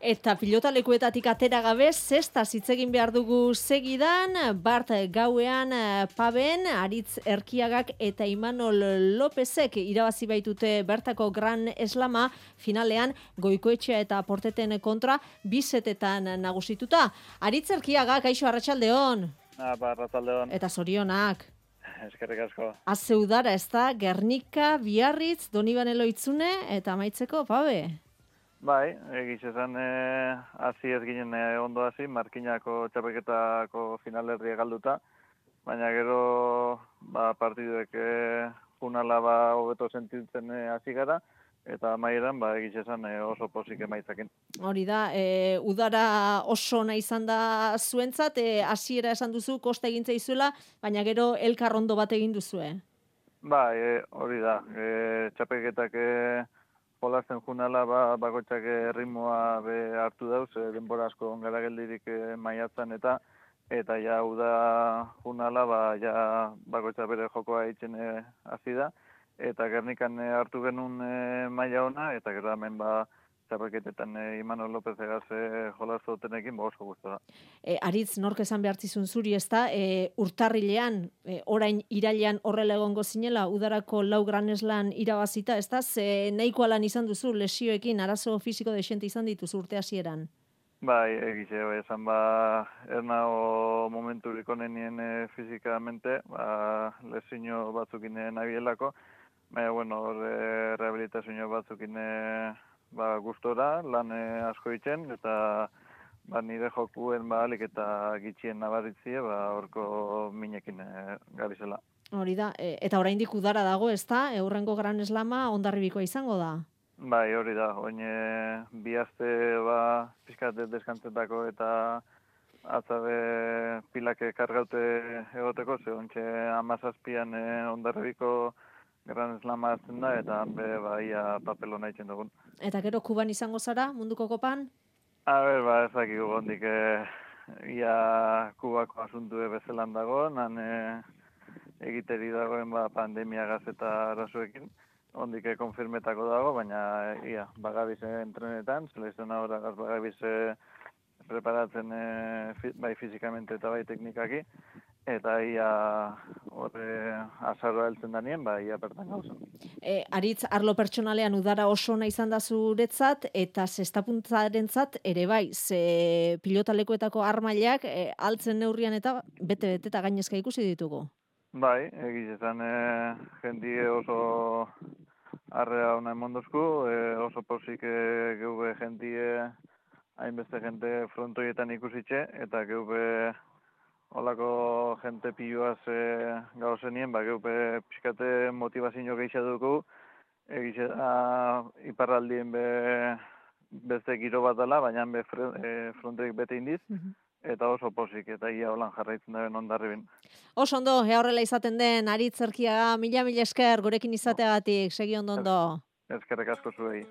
Eta pilotalekuetatik atera gabe, zesta hitz egin behar dugu segidan, Bart gauean Paben, Aritz Erkiagak eta Imanol Lopezek irabazi baitute bertako Gran Eslama, finalean Goikoetxea eta Porteten kontra bisetetan nagusituta. Aritz Erkiagak, kaixo, arratsaldeon. Arratsaldeon. Eta zorionak. Eskerrik asko. Azeudara, ezta, Gernika, Biarritz, Donibane Loitzune eta amaitzeko Pabe. Bai, egiz esan hasi ez ginen ondo hasi, Markinako txapelketako finalerria galduta, baina gero partiduek junala hobeto sentitzen hasi gara, eta amaieran egiz esan oso pozik emaitzakin. Hori da, udara oso nahi izan da zuentzat, hasiera esan duzu, kosta egin zaizuela, baina gero elkar ondo bat egin duzue. Bai, hori da, txapelketak jolasten junala, bakoitzak ritmoa hartu dauz, denbora asko ongara geldirik maiatzan eta ja uda junala, ja bakoitzak bere jokoa eitzen hasi da, eta Gernikan hartu genuen maila ona, eta gero hemen txapelketetan Imanol Lopez egaz jolastu dutenekin oso guztua da. Aritz, nork esan behartzizun zuri, ezta, urtarrilean, orain irailean horrela egongo zinela, udarako lau graneslan irabazita, ezta, nahiko alan izan duzu, lesioekin, arazo fisiko desente izan dituzu urte hasieran. Bai, egize, esan ernao momenturik onenien fizikamente, lesio batzukin nabielako, baina, bueno, rehabilitazio batzukin gustora, lan asko itzen, eta nire jokuen alik eta gitxien nabaritzie, horko minekin gabizela. Hori da, eta oraindik udara dago, ezta? Hurrengo Gran Eslama ondarribikoa izango da. Bai, hori da, oin bi aste pixkat deskantzetako eta atzabe pilak kargaute egoteko, ze ontxe 17an ondarribiko Gran Eslama hartzen da, eta ia papelona itzen dugun. Eta gero Kuban izango zara, munduko kopan? Ezakigu gondik ia Kubako asuntu bezelan dago, egiteri dagoen pandemiagaz eta arazoekin, ondik konfirmetako dago, baina ia, bagabiz entrenetan, seleziona horagaz bagabiz preparatzen bai fizikamente eta bai teknikaki, eta ia azaroa heltzen danien, ia bertan gauza. Aritz, arlo pertsonalean udara oso nahi izan da zuretzat, eta zestapuntzarentzat ere bai, ze pilotalekuetako armailak altzen neurrian eta bete eta gainezka ikusi ditugu. Bai, egiz esan jendie oso arrea hona emondozku, oso pozik geube jendie hainbeste jente frontoietan ikusitxe, eta geube holako jente piloaz gauzenien, geube pixkate motivazio gehiago dugu, egiz iparraldien beste giro bat dela, baina frontoik bete indiz, eta oso pozik, eta ia holan jarraitzen daren ondarribin. Oso ondo, horrela izaten den, Aritz Erkiaga, mila esker gurekin izateagatik, segi ondo. Eskerrek asko zuei.